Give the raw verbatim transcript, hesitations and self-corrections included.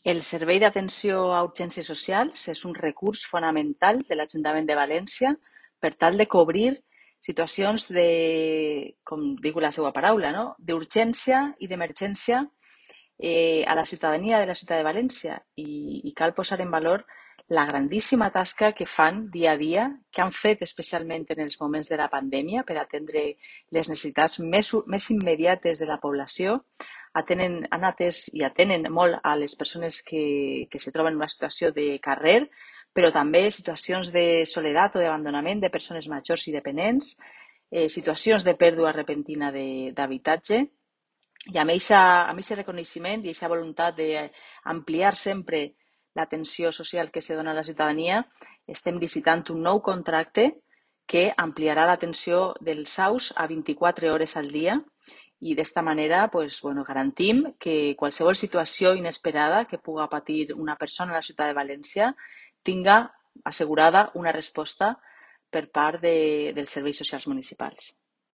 El Servei d'Atenció a Urgències Socials és un recurs fonamental de l'Ajuntament de València per tal de cobrir situacions de, com diu la seva paraula, no? D'urgència i d'emergència eh, a la ciutadania de la ciutat de València i, i cal posar en valor la grandíssima tasca que fan dia a dia, que han fet especialment en els moments de la pandèmia per atendre les necessitats més, més immediates de la població. Atenen, han atès i atenen molt a les persones que, que se troben en una situació de carrer, però també situacions de soledat o d'abandonament de persones majors i dependents, eh, situacions de pèrdua repentina d'habitatge. I amb aquest reconeixement i aquesta voluntat d'ampliar sempre l'atenció social que se dona a la ciutadania, estem licitant un nou contracte que ampliarà l'atenció dels A U S a vint-i-quatre hores al dia i d'esta manera pues, bueno, garantim que qualsevol situació inesperada que puga patir una persona a la ciutat de València tinga assegurada una resposta per part de, dels serveis socials municipals.